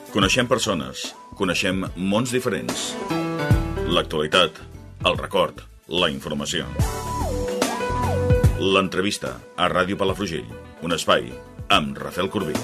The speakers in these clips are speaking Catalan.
Coneixem persones, coneixem mons diferents. L'actualitat, el record, la informació. L'entrevista a Ràdio Palafrugell, un espai amb Rafael Corbí.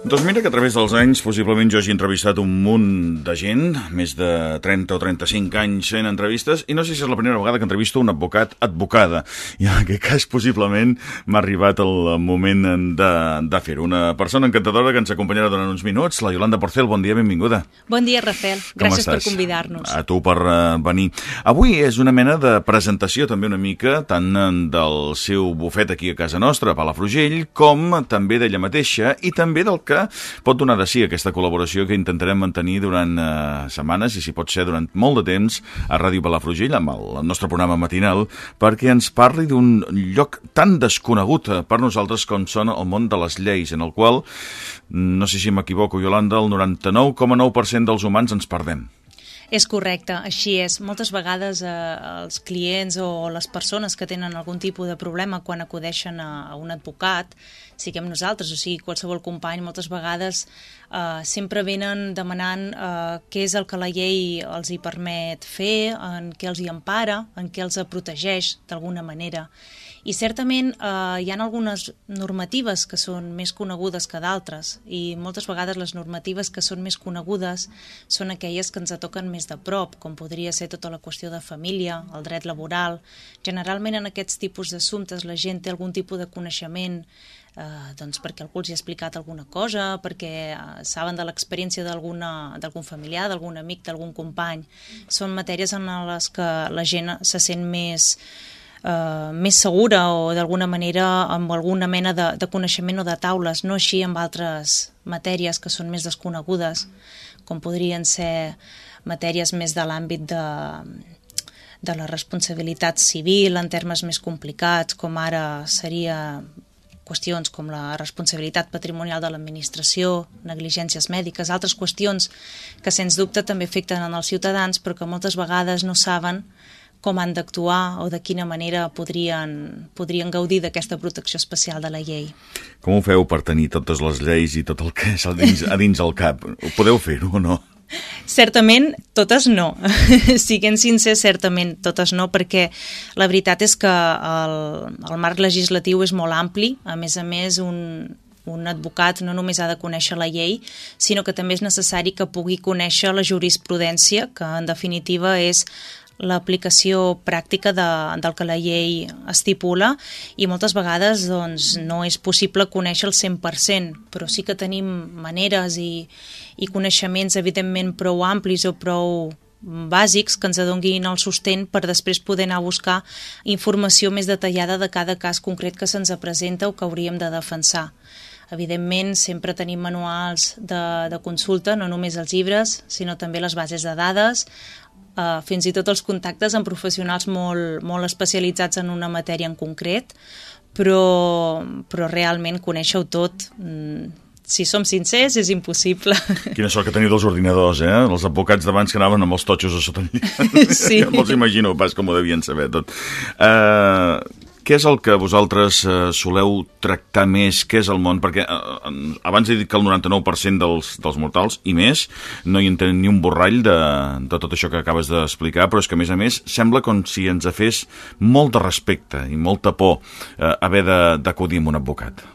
Doncs mira que a través dels anys possiblement jo hagi entrevistat un munt de gent, més de 30 o 35 anys fent entrevistes, i no sé si és la primera vegada que entrevisto un advocada. I en aquest cas possiblement m'ha arribat el moment de fer-ho. Una persona encantadora que ens acompanyarà durant uns minuts, la Yolanda Porcel. Bon dia, benvinguda. Bon dia, Rafael. Gràcies per convidar-nos. A tu per venir. Avui és una mena de presentació també una mica, tant del seu bufet aquí a casa nostra, a Palafrugell, com també d'ella mateixa i també del que pot donar de si aquesta col·laboració que intentarem mantenir durant setmanes i si pot ser durant molt de temps a Ràdio Palafrugell amb el nostre programa matinal, perquè ens parli d'un lloc tan desconegut per nosaltres com són el món de les lleis, en el qual, no sé si m'equivoco, Yolanda, el 99,9% dels humans ens perdem. És correcte, així és. Moltes vegades els clients o les persones que tenen algun tipus de problema quan acudeixen a un advocat, siguem nosaltres o sigui qualsevol company, moltes vegades sempre venen demanant què és el que la llei els hi permet fer, en què els hi empara, en què els protegeix d'alguna manera. I certament hi ha algunes normatives que són més conegudes que d'altres i moltes vegades les normatives que són més conegudes són aquelles que ens toquen més de prop, com podria ser tota la qüestió de família, el dret laboral. Generalment en aquests tipus d'assumptes la gent té algun tipus de coneixement doncs perquè algú els hi ha explicat alguna cosa, perquè saben de l'experiència d'algun familiar, d'algun amic, d'algun company. Són matèries en les que la gent se sent més segura o d'alguna manera amb alguna mena de coneixement o de taules, no així amb altres matèries que són més desconegudes, com podrien ser matèries més de l'àmbit de la responsabilitat civil en termes més complicats, com ara seria qüestions com la responsabilitat patrimonial de l'administració, negligències mèdiques, altres qüestions que sens dubte també afecten els ciutadans però que moltes vegades no saben com han d'actuar o de quina manera podrien gaudir d'aquesta protecció especial de la llei. Com ho feu per tenir totes les lleis i tot el que és a dins el cap? Podeu fer-ho o no? Certament, totes no. Siguent sincers, certament, totes no, perquè la veritat és que el marc legislatiu és molt ampli. A més, un advocat no només ha de conèixer la llei, sinó que també és necessari que pugui conèixer la jurisprudència, que en definitiva és l'aplicació pràctica del que la llei estipula i moltes vegades doncs, no és possible conèixer el 100%, però sí que tenim maneres i coneixements evidentment prou amplis o prou bàsics que ens adonguin el sostén per després poder anar a buscar informació més detallada de cada cas concret que se'ns presenta o que hauríem de defensar. Evidentment, sempre tenim manuals de consulta, no només els llibres, sinó també les bases de dades, fins i tot els contactes amb professionals molt especialitzats en una matèria en concret, però realment conèixer-ho tot, si som sincers, és impossible. Quina sort que teniu dels ordinadors, eh? Els advocats d'abans que anaven amb els totxos a sota el llit. Sí. Ja me'ls imagino pas com ho devien saber tot. Què és el que vosaltres soleu tractar més? Què és el món? Perquè abans he dit que el 99% dels mortals, i més, no hi entenen ni un borrall de tot això que acabes d'explicar, però és que, a més, sembla com si ens fes molt de respecte i molta por haver d'acudir amb un advocat.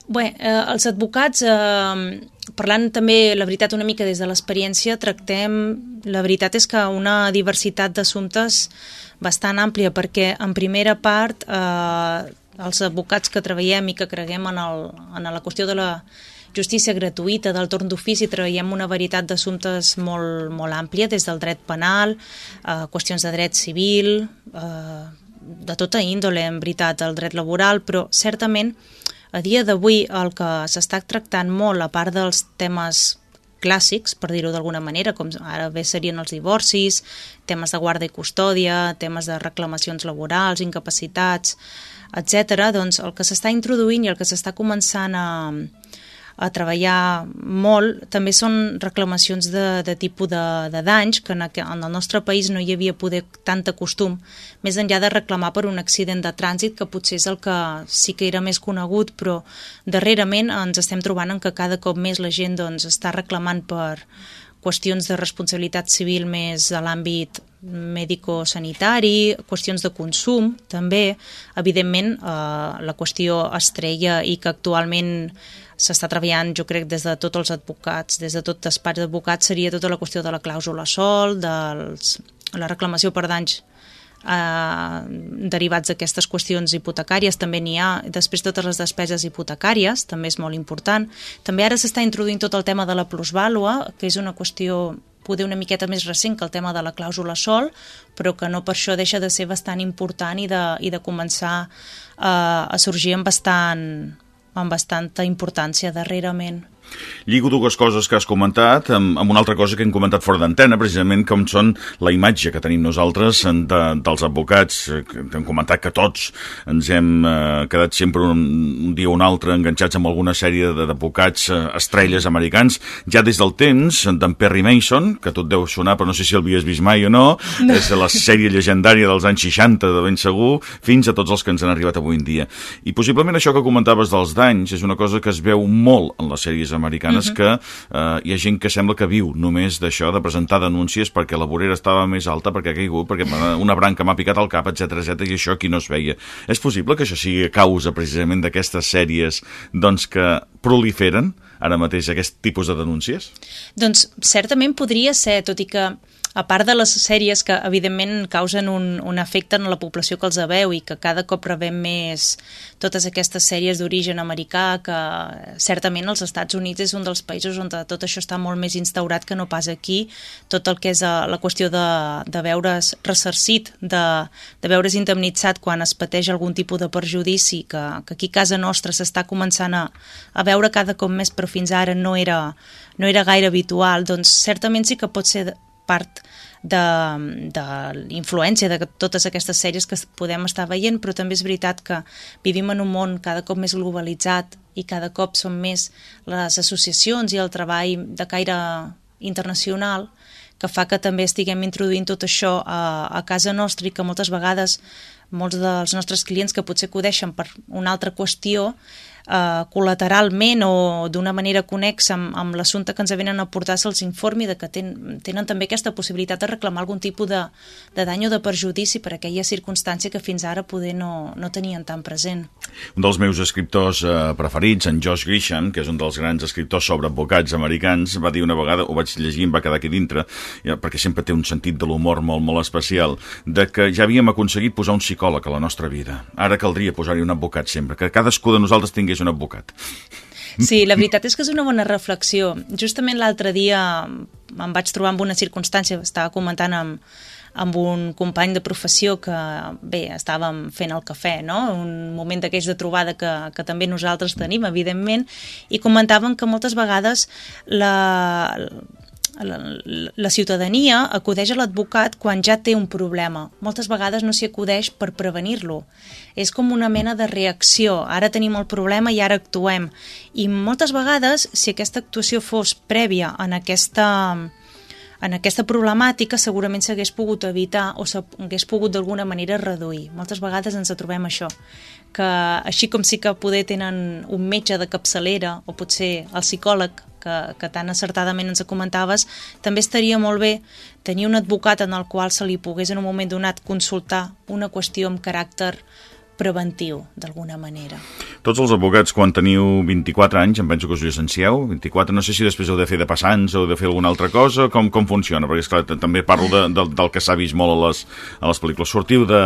Bé, els advocats, parlant també, la veritat, una mica des de l'experiència, la veritat és que una diversitat d'assumptes bastant àmplia, perquè en primera part els advocats que treballem i que creguem en la qüestió de la justícia gratuïta, del torn d'ofici, treballem una varietat d'assumptes molt àmplia, des del dret penal, qüestions de dret civil, de tota índole, en veritat, el dret laboral, però certament a dia d'avui el que s'està tractant molt, a part dels temes clàssics, per dir-ho d'alguna manera, com ara bé serien els divorcis, temes de guarda i custòdia, temes de reclamacions laborals, incapacitats, etc. Doncs el que s'està introduint i el que s'està començant a treballar molt, també són reclamacions de tipus de danys, que en el nostre país no hi havia poder tanta costum, més enllà de reclamar per un accident de trànsit, que potser és el que sí que era més conegut, però darrerament ens estem trobant en que cada cop més la gent doncs, està reclamant per qüestions de responsabilitat civil més de l'àmbit mèdico-sanitari, qüestions de consum, també. Evidentment, la qüestió estrella i que actualment s'està treballant, jo crec, des de tots els advocats, des de tot despatx d'advocats, seria tota la qüestió de la clàusula sol, la reclamació per danys derivats d'aquestes qüestions hipotecàries, també n'hi ha, després totes les despeses hipotecàries, també és molt important. També ara s'està introduint tot el tema de la plusvàlua, que és una qüestió poder una miqueta més recent que el tema de la clàusula sol, però que no per això deixa de ser bastant important i de començar a sorgir amb bastanta importància darrerament. Lligo dues coses que has comentat amb una altra cosa que hem comentat fora d'antena, precisament com són la imatge que tenim nosaltres dels advocats, que hem comentat que tots ens hem quedat sempre un dia o un altre enganxats amb alguna sèrie d'advocats estrelles americans, ja des del temps d'en Perry Mason, que tot deu sonar, però no sé si el havies vist mai o no, és la sèrie llegendària dels anys 60, de ben segur, fins a tots els que ens han arribat avui en dia. I possiblement això que comentaves dels danys és una cosa que es veu molt en les sèries americanes, que hi ha gent que sembla que viu només d'això, de presentar denúncies perquè la vorera estava més alta, perquè ha caigut, perquè una branca m'ha picat al cap, etc i això aquí no es veia. És possible que això sigui a causa precisament d'aquestes sèries doncs, que proliferen ara mateix aquest tipus de denúncies? Doncs certament podria ser, tot i que a part de les sèries que evidentment causen un efecte en la població que els veu i que cada cop rebem més totes aquestes sèries d'origen americà, que certament als Estats Units és un dels països on tot això està molt més instaurat que no pas aquí, tot el que és la qüestió de veure's ressarcit, de veure's indemnitzat quan es pateix algun tipus de perjudici, que aquí a casa nostra s'està començant a veure cada cop més, però fins ara no era gaire habitual, doncs certament sí que pot ser part de l'influència de totes aquestes sèries que podem estar veient, però també és veritat que vivim en un món cada cop més globalitzat i cada cop són més les associacions i el treball de caire internacional que fa que també estiguem introduint tot això a casa nostra i que moltes vegades molts dels nostres clients que potser acudeixen per una altra qüestió col·lateralment o d'una manera connexa amb l'assumpte que ens venen a portar se'ls informi de que tenen també aquesta possibilitat de reclamar algun tipus de dany o de perjudici per aquella circumstància que fins ara poder no tenien tan present. Un dels meus escriptors preferits, en Josh Grisham, que és un dels grans escriptors sobre advocats americans, va dir una vegada, ho vaig llegir i em va quedar aquí dintre, perquè sempre té un sentit de l'humor molt, molt especial, de que ja havíem aconseguit posar un psicòleg a la nostra vida. Ara caldria posar-hi un advocat sempre, que cadascú de nosaltres tingués un advocat. Sí, la veritat és que és una bona reflexió. Justament l'altre dia em vaig trobar amb una circumstància, estava comentant amb un company de professió que, bé, estàvem fent el cafè, no? Un moment d'aquells de trobada que també nosaltres tenim, evidentment, i comentàvem que moltes vegades la ciutadania acudeix a l'advocat quan ja té un problema. Moltes vegades no s'hi acudeix per prevenir-lo. És com una mena de reacció. Ara tenim el problema i ara actuem. I moltes vegades, si aquesta actuació fos prèvia en aquesta problemàtica, segurament s'hagués pogut evitar o s'hagués pogut d'alguna manera reduir. Moltes vegades ens trobem això, que així com sí que poder tenen un metge de capçalera o potser el psicòleg que tan acertadament ens comentaves, també estaria molt bé tenir un advocat en el qual se li pogués en un moment donat consultar una qüestió amb caràcter preventiu, d'alguna manera. Tots els advocats, quan teniu 24 anys, em penso que us llicencieu, 24, no sé si després heu de fer de passants o heu de fer alguna altra cosa, com funciona? Perquè, esclar, també parlo del que s'ha vist molt a les pel·lícules. Sortiu de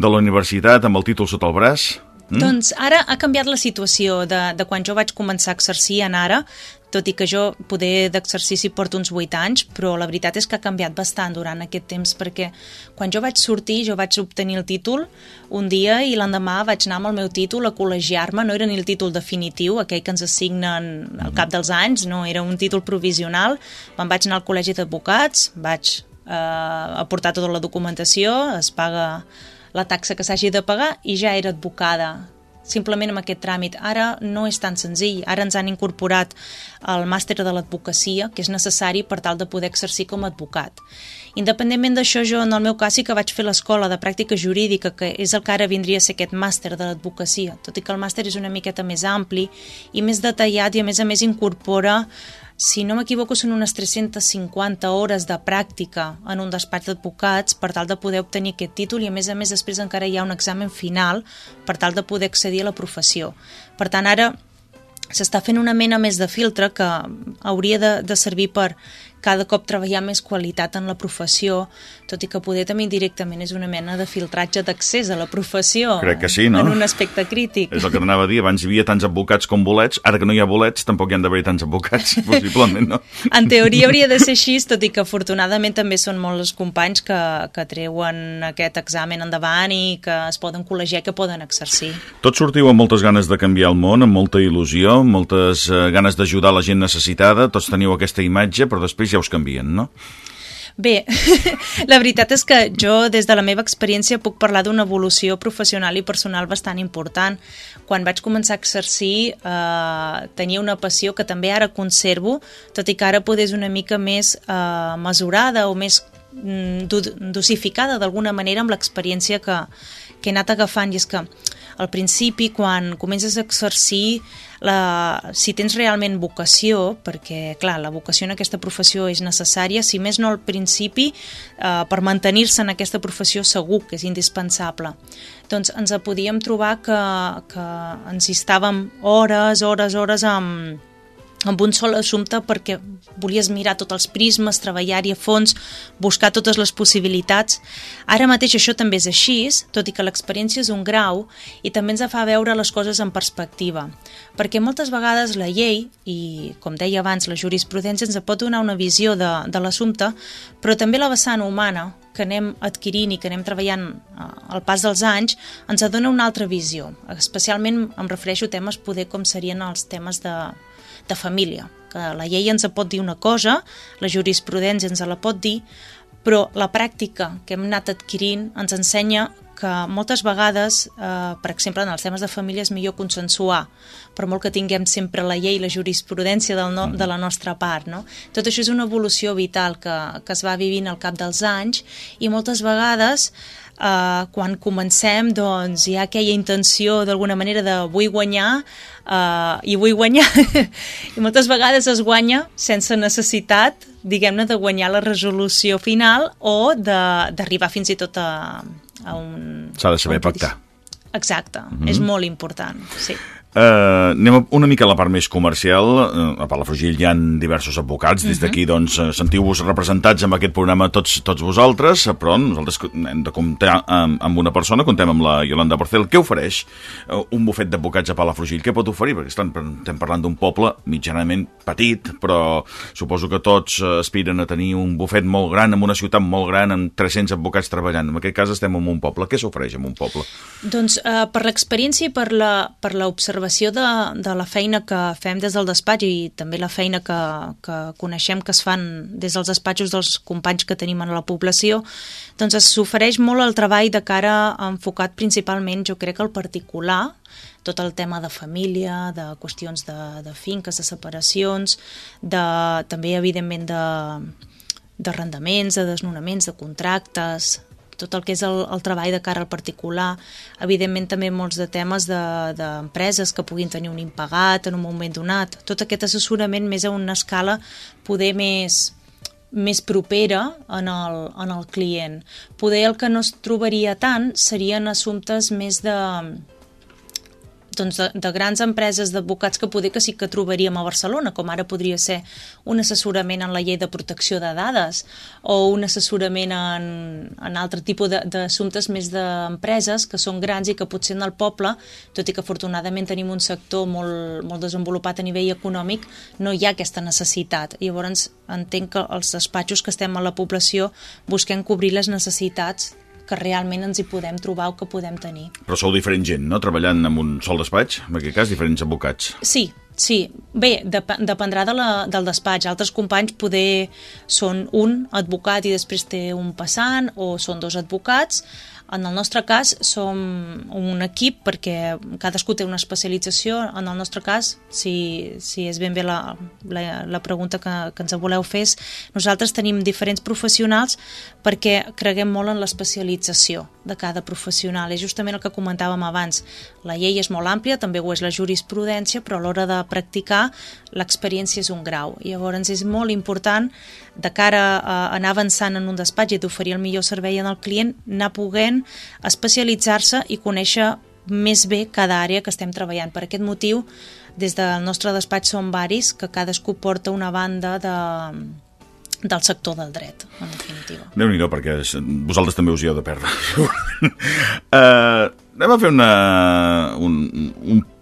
la universitat amb el títol sota el braç? Doncs ara ha canviat la situació de quan jo vaig començar a exercir en ara, tot i que jo poder d'exercici porto uns 8 anys, però la veritat és que ha canviat bastant durant aquest temps, perquè quan jo vaig sortir, jo vaig obtenir el títol un dia i l'endemà vaig anar amb el meu títol a col·legiar-me, no era ni el títol definitiu, aquell que ens assignen al cap dels anys, no, era un títol provisional. Me'n vaig anar al col·legi d'advocats, vaig aportar tota la documentació, es paga la taxa que s'hagi de pagar i ja era advocada. simplement amb aquest tràmit. Ara no és tan senzill, ara ens han incorporat el màster de l'advocacia, que és necessari per tal de poder exercir com a advocat. Independentment d'això, jo en el meu cas sí que vaig fer l'escola de pràctica jurídica, que és el que ara vindria a ser aquest màster de l'advocacia, tot i que el màster és una miqueta més ampli i més detallat i a més incorpora, si no m'equivoco, són unes 350 hores de pràctica en un despatx d'advocats per tal de poder obtenir aquest títol i a més després encara hi ha un examen final per tal de poder accedir a la professió. Per tant, ara s'està fent una mena més de filtre que hauria de servir per cada cop treballar més qualitat en la professió, tot i que poder també directament és una mena de filtratge d'accés a la professió. Crec que sí, no? En un aspecte crític. És el que t'anava a dir, abans hi havia tants advocats com bolets, ara que no hi ha bolets tampoc hi han d'haver tants advocats, possiblement, no? En teoria hauria de ser així, tot i que afortunadament també són molts els companys que treuen aquest examen endavant i que es poden col·legiar i que poden exercir. Tots sortiu amb moltes ganes de canviar el món, amb molta il·lusió, amb moltes ganes d'ajudar la gent necessitada, tots teniu aquesta imatge, però després ja us canvien, no? Bé, la veritat és que jo, des de la meva experiència, puc parlar d'una evolució professional i personal bastant important. Quan vaig començar a exercir, tenia una passió que també ara conservo, tot i que ara poder és una mica més mesurada o més dosificada d'alguna manera amb l'experiència que he anat agafant. I és que al principi, quan comences a exercir, si tens realment vocació, perquè clar, la vocació en aquesta professió és necessària, si més no al principi, per mantenir-se en aquesta professió segur que és indispensable. Doncs ens podíem trobar que ens hi estàvem hores amb un sol assumpte perquè volies mirar tots els prismes, treballar-hi a fons, buscar totes les possibilitats. Ara mateix això també és així, tot i que l'experiència és un grau i també ens fa veure les coses en perspectiva. Perquè moltes vegades la llei, i com deia abans, la jurisprudència ens pot donar una visió de l'assumpte, però també la vessant humana, que anem adquirint i que anem treballant al pas dels anys, ens dona una altra visió. Especialment em refereixo a temes poder com serien els temes de família, que la llei ens pot dir una cosa, la jurisprudència ens la pot dir, però la pràctica que hem anat adquirint ens ensenya que moltes vegades, per exemple, en els temes de família és millor consensuar, per molt que tinguem sempre la llei i la jurisprudència de la nostra part, no? Tot això és una evolució vital que es va vivint al cap dels anys i moltes vegades quan comencem doncs hi ha aquella intenció d'alguna manera de vull guanyar i vull guanyar i moltes vegades es guanya sense necessitat, diguem-ne, de guanyar la resolució final o d'arribar fins i tot a un... S'ha de saber pactar. Exacte, és molt important, sí. Anem una mica a la part més comercial. A Palafrugell hi ha diversos advocats. Des d'aquí doncs sentiu-vos representats en aquest programa tots vosaltres, però nosaltres hem de comptar amb una persona. Contem amb la Yolanda Porcel. Què ofereix un bufet d'advocats a Palafrugell? Què pot oferir? Perquè estem parlant d'un poble mitjanament petit, però suposo que tots aspiren a tenir un bufet molt gran, en una ciutat molt gran, amb 300 advocats treballant. En aquest cas estem en un poble. Què s'ofereix en un poble? Doncs per l'experiència i per l'observació de la feina que fem des del despatx i també la feina que coneixem que es fan des dels despatxos dels companys que tenim en la població, doncs s'ofereix molt el treball de cara enfocat principalment, jo crec, al particular, tot el tema de família, de qüestions de finques, de separacions, també, evidentment, d'arrendaments, de desnonaments, de contractes, tot el que és el treball de cara al particular, evidentment també molts de temes d'empreses que puguin tenir un impagat en un moment donat, tot aquest assessorament més a una escala poder més propera en el client. Poder el que no es trobaria tant serien assumptes més de grans empreses d'advocats que poder que sí que trobaríem a Barcelona, com ara podria ser un assessorament en la llei de protecció de dades o un assessorament en altre tipus d'assumptes més d'empreses que són grans i que potser en el poble, tot i que afortunadament tenim un sector molt desenvolupat a nivell econòmic, no hi ha aquesta necessitat. Llavors entenc que els despatxos que estem a la població busquem cobrir les necessitats que realment ens hi podem trobar o que podem tenir. Però sou diferent gent, no?, treballant en un sol despatx, en aquest cas diferents advocats. Sí. Bé, dependrà del despatx. Altres companys poder són un advocat i després té un passant, o són dos advocats. En el nostre cas som un equip perquè cadascú té una especialització. En el nostre cas, si és ben bé la pregunta que ens voleu fer, nosaltres tenim diferents professionals perquè creguem molt en l'especialització de cada professional. És justament el que comentàvem abans. La llei és molt àmplia, també ho és la jurisprudència, però a l'hora de practicar l'experiència és un grau. Llavors és molt important, de cara a anar avançant en un despatx i d'oferir el millor servei al client, anar podent especialitzar-se i conèixer més bé cada àrea que estem treballant. Per aquest motiu, des del nostre despatx som varis, que cadascú porta una banda del sector del dret, en definitiva. Déu-n'hi-do, perquè vosaltres també us hi heu de perdre. Anem a fer un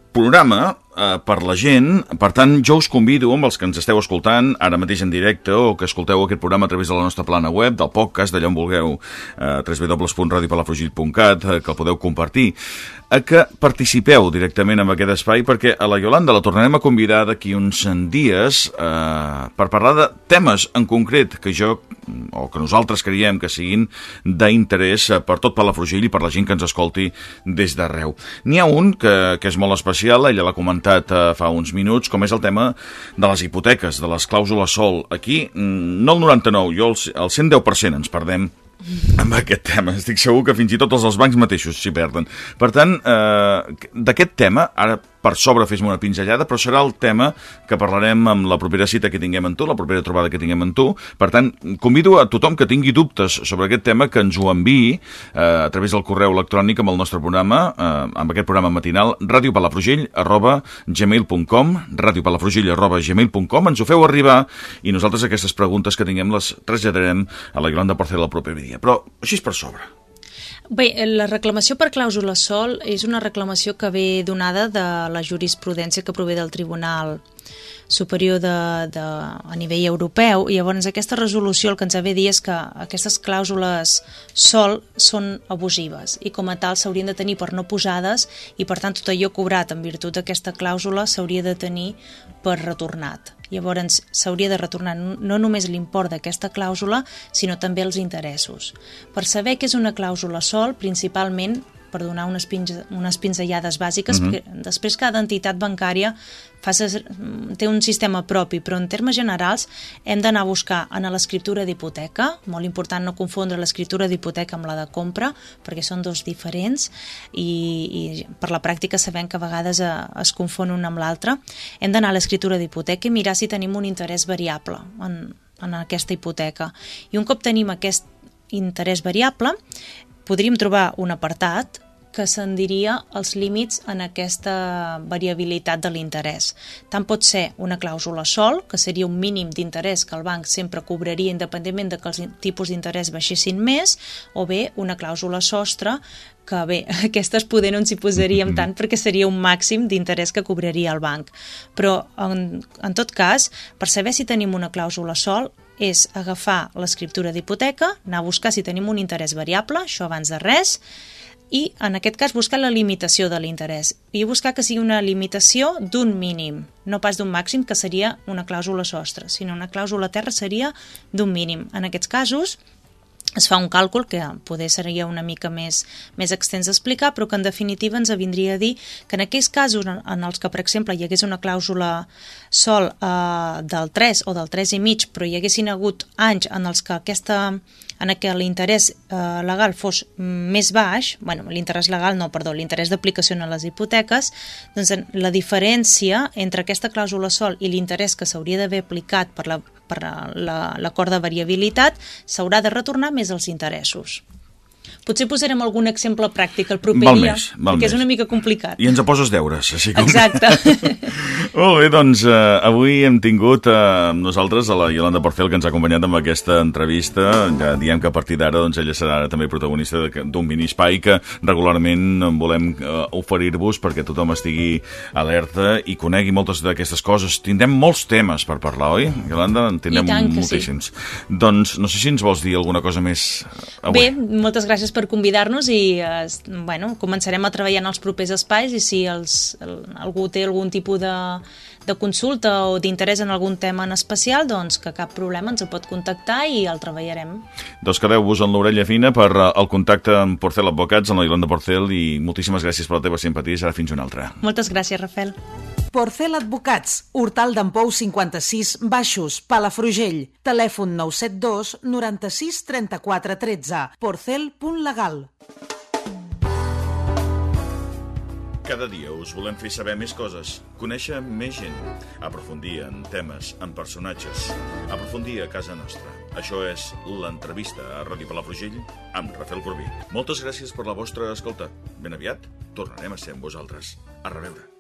programa per la gent. Per tant, jo us convido, amb els que ens esteu escoltant ara mateix en directe o que escolteu aquest programa a través de la nostra plana web, del podcast, d'allà on vulgueu, www.radiopalafrugell.cat, que el podeu compartir, a que participeu directament en aquest espai, perquè a la Iolanda la tornarem a convidar d'aquí uns dies per parlar de temes en concret que nosaltres creiem que siguin d'interès per tot Palafrugell i per la gent que ens escolti des d'arreu. N'hi ha un que és molt especial, ella l'ha comentat fa uns minuts, com és el tema de les hipoteques, de les clàusules sol. Aquí, no el 99, jo el 110% ens perdem amb aquest tema. Estic segur que fins i tot els bancs mateixos s'hi perden. Per tant, d'aquest tema, ara per sobre fes-me una pinzellada, però serà el tema que parlarem amb la propera cita que tinguem amb tu, la propera trobada que tinguem amb tu. Per tant, convido a tothom que tingui dubtes sobre aquest tema que ens ho enviï a través del correu electrònic amb el nostre programa, amb aquest programa matinal, radiopalafrugell@gmail.com, radiopalafrugell@gmail.com. Ens ho feu arribar i nosaltres aquestes preguntes que tinguem les traslladarem a la Iolanda Porcel el proper dia. Però així és per sobre. Bé, la reclamació per clàusula sol és una reclamació que ve donada de la jurisprudència que prové del Tribunal Superior a nivell europeu, i llavors aquesta resolució el que ens ha de dir és que aquestes clàusules sol són abusives i com a tal s'haurien de tenir per no posades i per tant tot allò cobrat en virtut d'aquesta clàusula s'hauria de tenir per retornat. Llavors s'hauria de retornar no només l'import d'aquesta clàusula, sinó també els interessos. Per saber què és una clàusula sol, principalment per donar unes pinzellades bàsiques, perquè després cada entitat bancària té un sistema propi, però en termes generals hem d'anar a buscar en l'escriptura d'hipoteca, molt important no confondre l'escriptura d'hipoteca amb la de compra, perquè són dos diferents i per la pràctica sabem que a vegades es confon una amb l'altra. Hem d'anar a l'escriptura d'hipoteca i mirar si tenim un interès variable en aquesta hipoteca. I un cop tenim aquest interès variable, podríem trobar un apartat que se'n diria els límits en aquesta variabilitat de l'interès. Tant pot ser una clàusula sol, que seria un mínim d'interès que el banc sempre cobraria independentment de que els tipus d'interès baixessin més, o bé una clàusula sostre, que bé, aquestes poder no ens hi posaríem tant perquè seria un màxim d'interès que cobraria el banc. Però, en tot cas, per saber si tenim una clàusula sol, és agafar l'escriptura d'hipoteca, anar a buscar si tenim un interès variable, això abans de res, i en aquest cas buscar la limitació de l'interès i buscar que sigui una limitació d'un mínim, no pas d'un màxim, que seria una clàusula sostre, sinó una clàusula terra seria d'un mínim. En aquests casos es fa un càlcul que poder seria una mica més extens d'explicar, però que en definitiva ens vindria a dir que en aquells casos en els que, per exemple, hi hagués una clàusula sol del 3 o del 3,5, però hi haguessin hagut anys en els que què l'interès legal fos més baix, l'interès legal no, perdó, l'interès d'aplicació a les hipoteques, doncs la diferència entre aquesta clàusula sol i l'interès que s'hauria d'haver aplicat per l'acord de variabilitat s'haurà de retornar més els interessos. Potser posarem algun exemple pràctic el proper dia, perquè és una mica complicat. I ens poses deures, així com... Exacte. Molt bé, doncs avui hem tingut amb nosaltres a la Iolanda Porcel, que ens ha acompanyat amb aquesta entrevista. Ja diem que a partir d'ara ella serà també protagonista d'un mini-espai que regularment volem oferir-vos perquè tothom estigui alerta i conegui moltes d'aquestes coses. Tindrem molts temes per parlar, oi? Iolanda, en tindrem moltíssims. Sí. Doncs no sé si ens vols dir alguna cosa més avui. Bé, moltes gràcies gràcies per convidar-nos i bueno, començarem a treballar en els propers espais i si algú té algun tipus de consulta o d'interès en algun tema en especial, doncs que cap problema ens ho pot contactar i el treballarem. Doncs quedeu-vos en l'orella fina per el contacte amb Porcel Advocats, en la Yolanda Porcel, i moltíssimes gràcies per la teva simpatia i serà fins una altra. Moltes gràcies, Rafael. Porcel Advocats, Hortal d'Empou 56, Baixos, Palafrugell. Telèfon 972 96 34 13. Porcel.legal. Cada dia us volem fer saber més coses, conèixer més gent, aprofundir en temes, en personatges, aprofundir a casa nostra. Això és l'entrevista a Ràdio Palafrugell amb Rafael Corbí. Moltes gràcies per la vostra escolta. Ben aviat tornarem a ser amb vosaltres. A reveure.